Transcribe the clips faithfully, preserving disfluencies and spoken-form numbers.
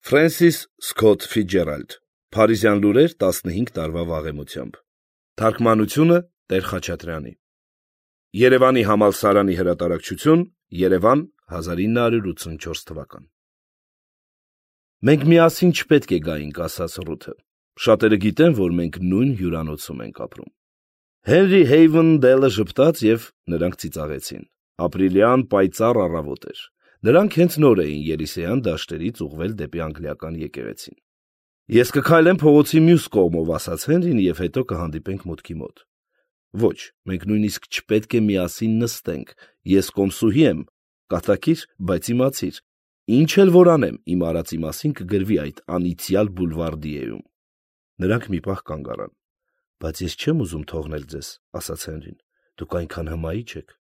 Ֆրենսիս Սքոթ Ֆիցջերալդ, Փարիզյան լուրեր տասնհինգ տարվա վաղեմությամբ։ Թարգմանությունը Տեր Խաչատրյանի։ Երևանի համալսարանի հրատարակչություն, Երևան, հազար ինը հարյուր ութսունչորս թվական։ Մենք միասին չպետք է գայինք, ասաց Ռութը։ Շատերը գիտեն, որ մենք նույն հյուրանոցում ենք ապրում։ Հենրի Հեյվեն Դելը ժպտաց և նրանք ծիծաղեցին։ Ապրիլյան պայծառ առավոտ էր։ Նրանք հենց նոր էին Երիսեյան դաշտերից ուղղվել դեպի անգլիական եկեղեցին։ Ես կքայլեմ փողոցի մյուս կողմով, ասաց Հենրին, և հետո կհանդիպենք մուտքի մոտ։ Ոչ, մենք նույնիսկ չպետք է միասին նստենք։ Ես կոմսուհի եմ, կատակիր, բայց իմացիր, ինչ էլ որ անեմ, իմ արածի մասին կգրվի այդ անիծյալ Բուլվարդիեում։ Նրանք մի պահ կանգ առան։ Բայց ես չեմ ուզում թողնել ձեզ, ասաց Հենրին։ Դուք այնքան հմայիչ եք։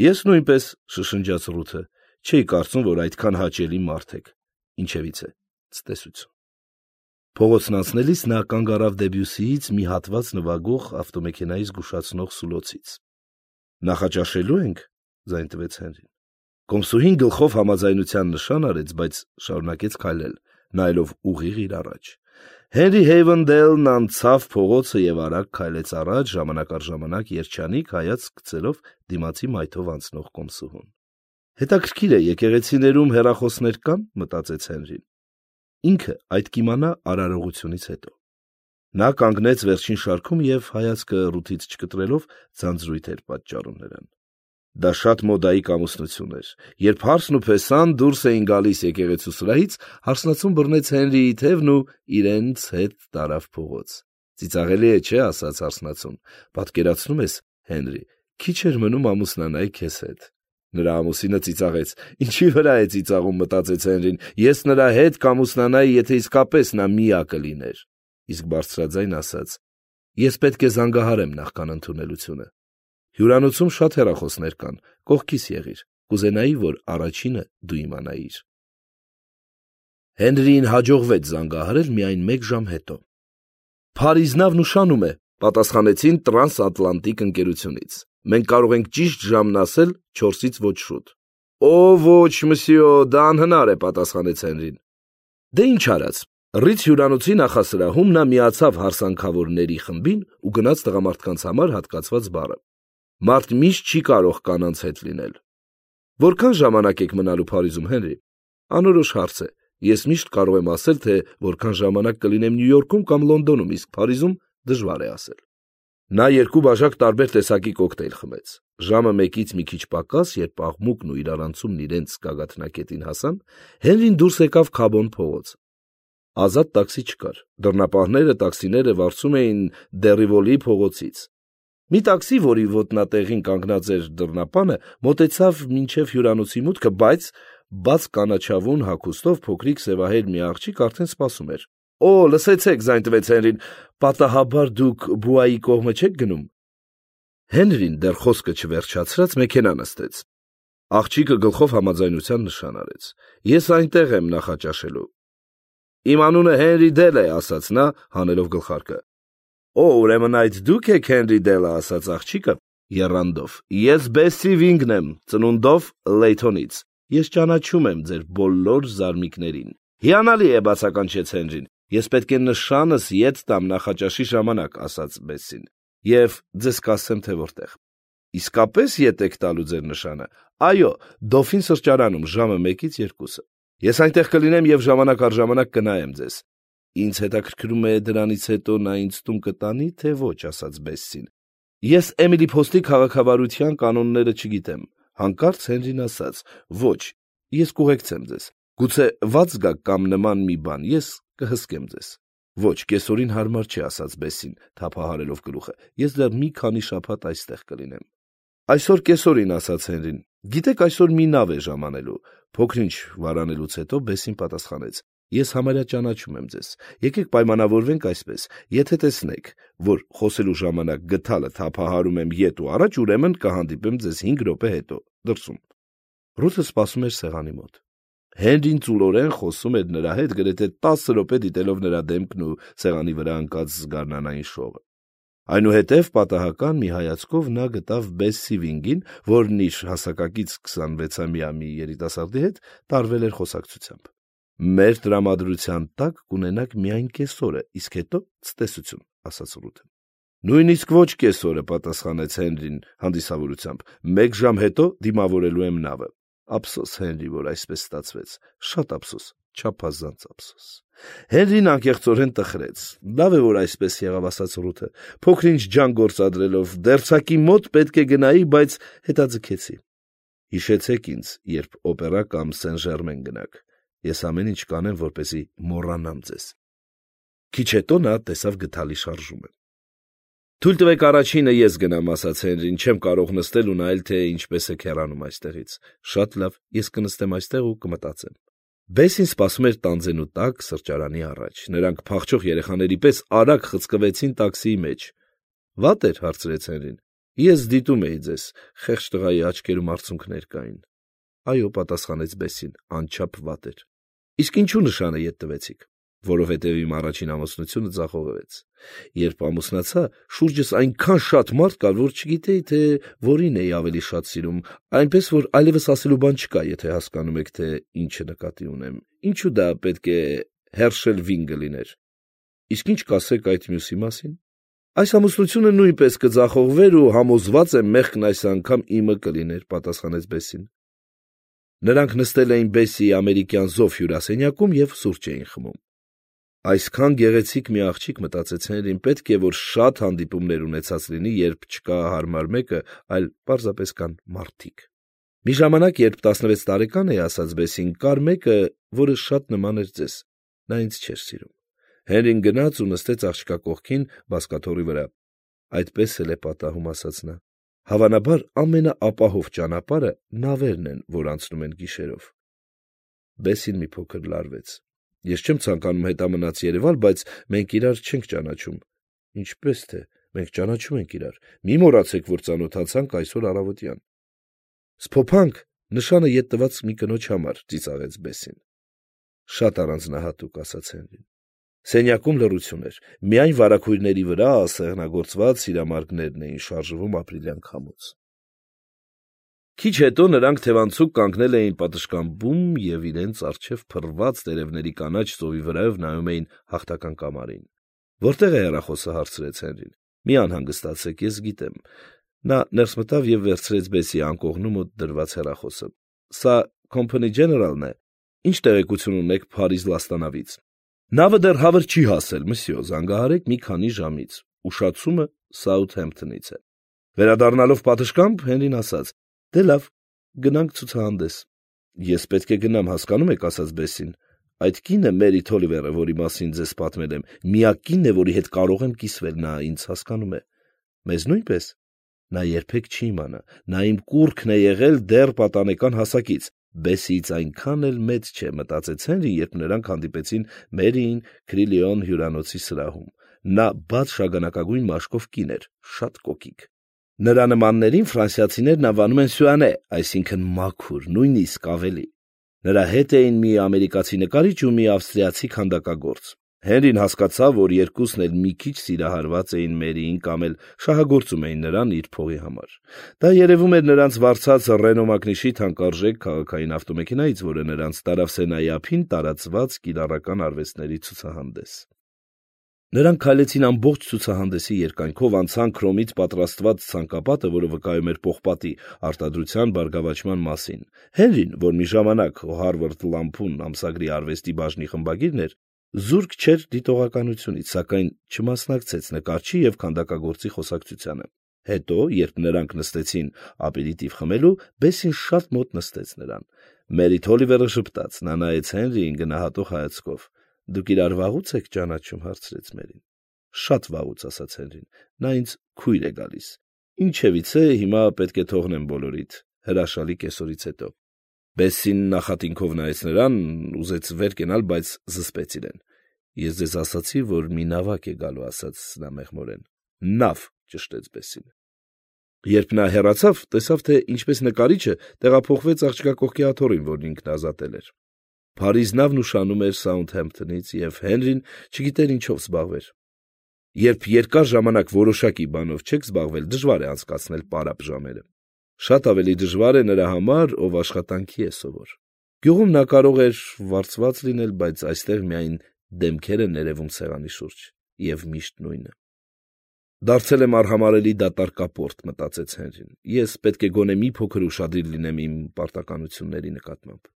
Ես նույնպես, շշնջաց Ռութը, չէի կարծում, որ այդքան հաճելի մարդ եք։ Ինչևից է, ցտեսություն։ Փողոցն անցնելիս նա կանգ առավ Դեբյուսիից մի հատված նվագող ավտոմեքենայի զգուշացնող սուլոցից։ Նախաճաշելու ենք, ձայն տվեց Հենրին։ Կոմսուհին գլխով համաձայնության նշան արեց, բայց շարունակեց քայլել, նայելով ուղիղ իր առաջ։ Հենրի Հեյվեն Դելն անցավ փողոցը և արագ քայլեց առաջ, ժամանակ առ ժամանակ երջանիկ հայացք գցելով դիմացի մայթով անցնող կոմսուհուն։ Հետաքրքիր է, եկեղեցիներում հեռախոսներ կան, մտածեց Հենրին։ Ինքը այդ կիմանա արարողությունից հետո։ Նա կանգնեց վերջին շարքում և հայացքը Ռութից չկտրելով ձանձրույթ էր պատճառում նրան։ Դա շատ մոդայիկ ամուսնություն էր։ Երբ Հարսն ու Փեսան դուրս էին գալիս եկեղեցու սրահից, հարսնացուն բռնեց Հենրիի թևն ու իրենց հետ տարավ փողոց։ Ծիծաղելի է, չէ՞, ասաց հարսնացուն։ Պատկերացնում ես, Հենրի, քիչ էր մնում ամուսնանայի քեզ հետ։ Նրա ամուսինը ծիծաղեց։ Ինչի վրա է ծիծաղում, մտածեց Հենրին։ Ես նրա հետ կամուսնանայի, եթե իսկապես նա միակը լիներ։ Իսկ բարձրաձայն ասաց. Ես պետք է զանգահարեմ նախքան ընդունելությունը։ Հյուրանոցում շատ հեռախոսներ կան, կողքիս եղիր, կուզենայի, որ առաջինը դու իմանայիր։ Հենրիին հաջողվեց զանգահարել միայն մեկ ժամ հետո։ Փարիզնավն ուշանում է, պատասխանեցին Տրանսատլանտիկ ընկերությունից։ Մենք կարող ենք ճիշտ ժամն ասել չորսից ոչ շուտ։ Օ, ոչ, մսյո, դա անհնար է, պատասխանեց Հենրին։ Դե ինչ արած։ Ռիծ հյուրանոցի նախասրահում նա միացավ հարսանքավորների խմբին ու գնաց տղամարդկանց համար հատկացված բարը։ Մարդ միշտ չի կարող կանանց հետ լինել։ Որքան ժամանակ եք մնալու Փարիզում, Հենրի։ Անորոշ հարց է։ Ես միշտ կարող եմ ասել, թե որքան ժամանակ կլինեմ Նյու Յորքում կամ Լոնդոնում, իսկ Փարիզում դժվար է ասել։ Նա երկու բաժակ տարբեր տեսակի կոկտեյլ խմեց։ Ժամը մեկից մի քիչ պակաս, երբ աղմուկն ու իրարանցումն իրենց գագաթնակետին հասան, Հենրին դուրս եկավ Քաբոն փողոց։ Ազատ տաքսի չկար։ Դռնապահները տաքսիները վարձում էին Դերիվոլի փողոցից։ Մի տաքսի, որի ոտնատեղին կանգնած էր դռնապանը, մոտեցավ մինչև հյուրանոցի մուտքը, բայց բաց կանաչավուն հագուստով փոքրիկ սևահեր մի աղջիկ արդեն սպասում էր։ Օ, լսեցեք, ձայն տվեց Հենրին, պատահաբար դուք Բուայի կողմը չեք գնում։ Հենրին դեռ խոսքը չվերջացրած մեքենա նստեց։ Աղջիկը գլխով համաձայնության նշան արեց։ Ես այնտեղ եմ նախաճաշելու։ Իմ անունը Հենրի Դել է, ասաց նա, հանելով գլխարկը։ Օ, ուրեմն այդ դուք եք Հենրի Դելը, ասաց աղջիկը եռանդով։ Ես Բեսսի Վինգն եմ, ծնունդով Լեյթոնից։ Ես ճանաչում եմ ձեր բոլոր զարմիկներին։ Հիանալի է, բացականչեց Հենրին։ Ես պետք է նշանս ետ տամ նախաճաշի ժամանակ, ասաց Բեսսին, և ձեզ կասեմ, թե որտեղ։ Իսկապես ետ եք տալու ձեր նշանը։ Այո, Դոֆին սրճարանում ժամը մեկից երկուսը։ Ես այնտեղ կլինեմ և ժամանակ առ ժամանակ կնայեմ ձեզ։ Ինձ հետաքրքրում է դրանից հետո նա ինձ տուն կտանի, թե ոչ, ասաց Բեսսին։ Ես Էմիլի Փոստի քաղաքավարության կանոնները չգիտեմ։ Հանկարծ Հենրին ասաց. Ոչ, ես կուղեկցեմ ձեզ։ Գուցե վաց գաք կամ նման մի բան, ես կհսկեմ ձեզ։ Ոչ, կեսօրին հարմար չի, ասաց Բեսսին, թափահարելով գլուխը։ Ես դեռ մի քանի շաբաթ այստեղ կլինեմ։ Այսօր կեսօրին, ասաց Հենրին։ Գիտեք, այսօր մի նավ է ժամանելու։ Փոքրինչ վարանելուց հետո Բեսսին պատասխանեց. Ես համարյա ճանաչում եմ ձեզ։ Եկեք պայմանավորվենք այսպես. եթե տեսնեք, որ խոսելու ժամանակ գդալը թափահարում եմ ետ ու առաջ, ուրեմն կհանդիպեմ ձեզ հինգ րոպե հետո դրսում։ Ռութը սպասում էր սեղանի մոտ։ Հենրին ծուլորեն խոսում էր նրա հետ, գրեթե տասը րոպե դիտելով նրա դեմքն ու սեղանի վրա ընկած զգարնանային շողը։ Այնուհետև պատահական մի հայացքով նա գտավ Բեսսի Վինգին, որն իր հասակակից քսանվեցամյա մի երիտասարդի հետ տարվել էր խոսակցությամբ։ Մեր տրամադրության տակ կունենաք միայն կեսօրը, իսկ հետո ցտեսություն, ասաց Ռութը։ Նույնիսկ ոչ կեսօրը, պատասխանեց Հենրին հանդիսավորությամբ, մեկ ժամ հետո դիմավորելու եմ նավը։ Ափսոս, Հենրի, որ այսպես ստացվեց, շատ ափսոս, չափազանց ափսոս։ Հենրին անկեղծորեն տխրեց։ Լավ է, որ այսպես եղավ, ասաց Ռութը, փոքր-ինչ ջան գործադրելով, դերձակի մոտ պետք է գնայի, բայց հետաձգեցի։ Հիշեցեք ինձ, երբ օպերա կամ Սեն-Ժերմեն գնաք։ Ես ամեն ինչ կանեմ, որպեսզի մոռանամ ձեզ։ Քիչ հետո նա տեսավ գդալի շարժումը։ Թույլ տվեք առաջինը ես գնամ, ասաց Հենրին, չեմ կարող նստել ու նայել, թե ինչպես է քեռանում այստեղից։ Շատ լավ, ես կնստեմ այստեղ ու կմտածեմ։ Բեսին սպասում էր տանձենու տակ սրճարանի առաջ։ Նրանք փախչող երեխաների պես արագ խցկվեցին տաքսիի մեջ։ Վատ էր, հարցրեց Հենրին։ Ես դիտում էի ձեզ, խեղճ տղայի աչքերում արցունքներ կային։ Այո, պատասխանեց Բեսին, անչափ վատ էր։ Իսկ ինչու նշանը ետ տվեցիք։ Որովհետև իմ առաջին ամուսնությունը ձախողվեց։ Երբ ամուսնացա, շուրջս այնքան շատ մարդ կար, որ չգիտեի, թե որին էի ավելի շատ սիրում, այնպես որ այլևս ասելու բան չկա, եթե հասկանում եք, թե ինչը նկատի ունեմ։ Ինչու դա պետք է Հերշել Վինգը լիներ։ Իսկ ինչ կասեք այդ մյուսի մասին։ Այս ամուսնությունը նույնպես կձախողվեր ու համոզված եմ մեղքն այս անգամ իմը կլիներ, պատասխանեց Բեսին։ Նրանք նստել էին Բեսիի ամերիկյան զով հյուրասենյակում և սուրճ էին խմում։ Այսքան գեղեցիկ մի աղջիկ, մտածեց Հենրին, պետք է որ շատ հանդիպումներ ունեցած լինի, երբ չկա հարմար մեկը, այլ պարզապես կան մարդիկ։ Մի ժամանակ, երբ տասնվեց տարեկան էի, ասաց Բեսին, կար մեկը, որը շատ նման էր ձեզ։ Նա ինձ չէր սիրում։ Հենրին գնաց ու նստեց աղջկա կողքին բազկաթոռի վրա։ Այդպես էլ է պատահում, ասաց նա։ Հավանաբար ամենաապահով ճանապարհը նավերն են, որ անցնում են գիշերով։ Բեսին մի փոքր լարվեց։ Ես չեմ ցանկանում հետամնաց Երևալ, բայց մենք իրար չենք ճանաչում։ Ինչպես թե, մենք ճանաչում ենք իրար։ Մի մոռացեք, որ ծանոթացանք այսօր առավոտյան։ Սփոփանք, նշանը ետ տված մի կնոջ համար, ծիծաղեց Բեսին։ Շատ առանձնահատուկ, ասաց Հենրին։ Սենյակում լռություն էր։ Միայն վարագույրների վրա սեղնագործված սիրամարգներն էին շարժվում ապրիլյան քամուց։ Քիչ հետո նրանք թևանցուկ կանգնել էին պատշգամբում և իրենց առջև փռված տերևների կանաչ ծովի վրայով նայում էին հաղթական կամարին։ Որտե՞ղ է հեռախոսը, հարցրեց Հենրին։ Մի անհանգստացեք, ես գիտեմ։ Նա ներս մտավ և վերցրեց Բեսի անկողնու մոտ դրված հեռախոսը։ Սա Company General-ն է։ Ինչ տեղեկություն ունեք Փարիզ լաստանավից։ Նավը դեռ հավր չի հասել, մսյո, զանգահարեք մի քանի ժամից։ Ուշացումը Սաութհեմփթոնից է։ Վերադառնալով պատշգամբ, Հենրին ասաց. Դե լավ, գնանք ցուցահանդես։ Ես պետք է գնամ, հասկանում եք, ասաց Բեսին։ Այդ կինը Մերի Թոլիվերը, որի մասին ձեզ պատմել եմ, միակ կինն է, որի հետ կարող եմ կիսվել, նա ինձ հասկանում է։ Մեզ նույնպես։ Նա երբեք չի իմանա։ Նա իմ կուռքն է եղել դեռ պատանեկան հասակից։ Բեսիից այնքան էլ մեծ չէ, մտածեց Հենրին, երբ նրանք հանդիպեցին Մերիին Քրիլիոն հյուրանոցի սրահում։ Նա բաց շագանակագույն մաշկով կին էր, շատ կոկիկ։ Նրա նմաններին ֆրանսիացիներն անվանում են Սյուանե, այսինքն մաքուր, նույնիսկ ավելի։ Նրա հետ էին մի ամերիկացի նկարիչ ու մի ավստրիացի քանդակագործ։ Հենրին հասկացավ, որ երկուսն էլ մի քիչ սիրահարված էին Մերիին կամ էլ շահագործում էին նրան իր փողի համար։ Դա երևում էր նրանց վարձած Ռենո մակնիշի թանկարժեք քաղաքային ավտոմեքենայից, որը նրանց տարավ Սենայի ափին տարածված կիրառական արվեստների ցուցահանդես։ Նրանք քայլեցին ամբողջ ցուցահանդեսի երկայնքով, անցան քրոմից պատրաստված ցանկապատը, որը վկայում էր պողպատի արտադրության բարգավաճման մասին։ Հենրին, որ մի ժամանակ Harvard Lampoon ամսագրի արվեստի բաժնի խմբագիրն էր, զուրկ չէր դիտողականությունից, սակայն չմասնակցեց նկարչի և քանդակագործի խոսակցությանը։ Հետո, երբ նրանք նստեցին ապերիտիվ խմելու, Բեսին շատ մոտ նստեց նրան։ Մերի Թոլիվերը ժպտաց, նա նայեց Հենրիին գնահատող հայացքով։ Դուք իրար վաղուց եք ճանաչում, հարցրեց Մերին։ Շատ վաղուց, ասաց Հենրին։ Նա ինձ քույր է գալիս։ Ինչևիցե, հիմա պետք է թողնեմ բոլորիդ, հրաշալի կեսօրից հետո։ Բեսին նախատինքով նայեց նրան, ուզեց վեր կենալ, բայց զսպեց իրեն։ Ես ձեզ ասացի, որ մի նավակ է գալու, ասաց նա մեղմորեն։ Նավ, ճշտեց Բեսին։ Երբ նա հեռացավ, տեսավ, թե ինչպես նկարիչը տեղափոխվեց աղջկա կողքի աթոռին, որն ինքն ազատել էր։ Փարիզ նավն ուշանում էր Սաութհեմփթոնից, և Հենրին չգիտեր ինչով զբաղվեր։ Երբ երկար ժամանակ որոշակի բանով չեք զբաղվել, դժվար է անցկացնել պարապ ժամերը։ Շատ ավելի դժվար է նրա համար, ով աշխատանքի է սովոր։ Գյուղում նա կարող էր վարձված լինել, բայց այստեղ միայն դեմքեր են ներևում սեղանի շուրջ, և միշտ նույնը։ Դարձել եմ արհամարհելի դատարկապորտ, մտածեց Հենրին, ես պետք է գոնե մի փոքր ուշադիր լինեմ իմ պարտականությունների նկատմամբ։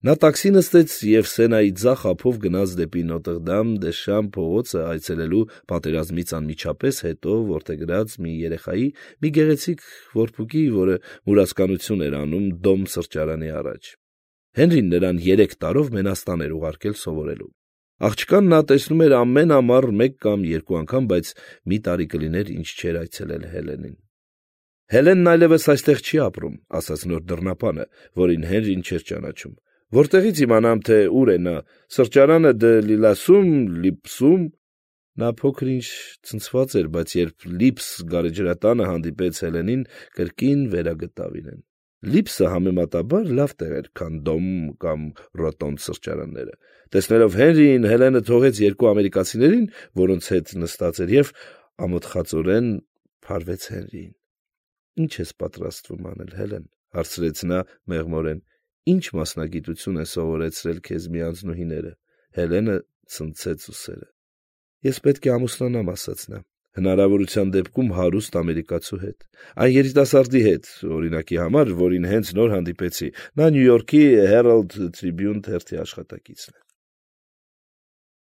Նա տաքսի նստեց և Սենայի ձախ ափով գնաց դեպի Նոտրդամ դե Շամ փողոցը այցելելու պատերազմից անմիջապես հետո որդեգրած մի երեխայի, մի գեղեցիկ որբուկի, որը մուրացկանություն էր անում Դոմ սրճարանի առաջ։ Հենրին նրան երեք տարով Մենաստան էր ուղարկել սովորելու։ Աղջկան նա տեսնում էր ամեն ամառ մեկ կամ երկու անգամ, բայց մի տարի կլիներ, ինչ չէր այցելել Հելենին։ Հելենն այլևս այստեղ չի ապրում, ասաց նոր դռնապանը, որին Հենրին չէր ճանաչում։ Որտեղից իմանամ, թե ուր է նա, սրճարանը դե Լիլասում, Լիպսում։ Նա փոքր-ինչ ցնցված էր, բայց երբ Լիպս գարեջրատանը հանդիպեց Հելենին, կրկին վերագտավ իրեն։ Լիպսը համեմատաբար լավ տեղ էր, քան Դոմ կամ Ռոտոնդ սրճարանները։ Տեսնելով Հենրիին, Հելենը թողեց երկու ամերիկացիներին, որոնց հետ նստած էր, և ամոթխածորեն փարվեց Հենրիին։ Ինչ ես պատրաստվում անել, Հելեն, հարցրեց նա մեղմորեն։ Ինչ մասնագիտություն են սովորեցրել քեզ մի անձնուհիները։ Հելենը ցնցեց ուսերը։ Ես պետք է ամուսնանամ, ասաց նա, հնարավորության դեպքում հարուստ ամերիկացու հետ, այն երիտասարդի հետ, օրինակի համար, որին հենց նոր հանդիպեցի, նա Նյու Յորքի Herald Tribune թերթի աշխատակիցն է։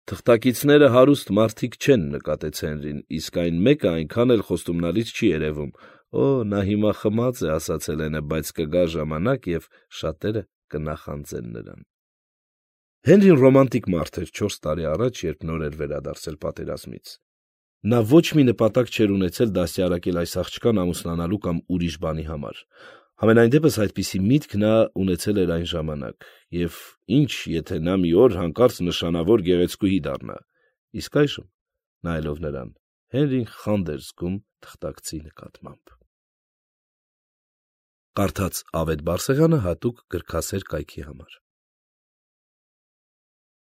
Թղթակիցները հարուստ մարդիկ չեն, նկատեց Հենրին, իսկ այն մեկը այնքան էլ խոստումնալից չի երևում։ Օ, նա հիմա խմած է, ասաց Հելենը, բայց կգա ժամանակ, և շատերը կնախանձեն նրան։ Հենրին ռոմանտիկ մարդ էր չորս տարի առաջ, երբ նոր էր վերադարձել պատերազմից։ Նա ոչ մի նպատակ չէր ունեցել դաստիարակել այս աղջկան ամուսնանալու կամ ուրիշ բանի համար։ Համենայն դեպս այդպիսի միտք նա ունեցել էր այն ժամանակ, և ինչ, եթե նա մի օր հանկարծ նշանավոր գեղեցկուհի դառնա։ Իսկ այժմ, նայելով նրան, Հենրին խանդ էր զգում թղթակցի նկատմամբ։ Կարդաց Ավետ Բարսեղյանը հատուկ գրքասեր կայքի համար։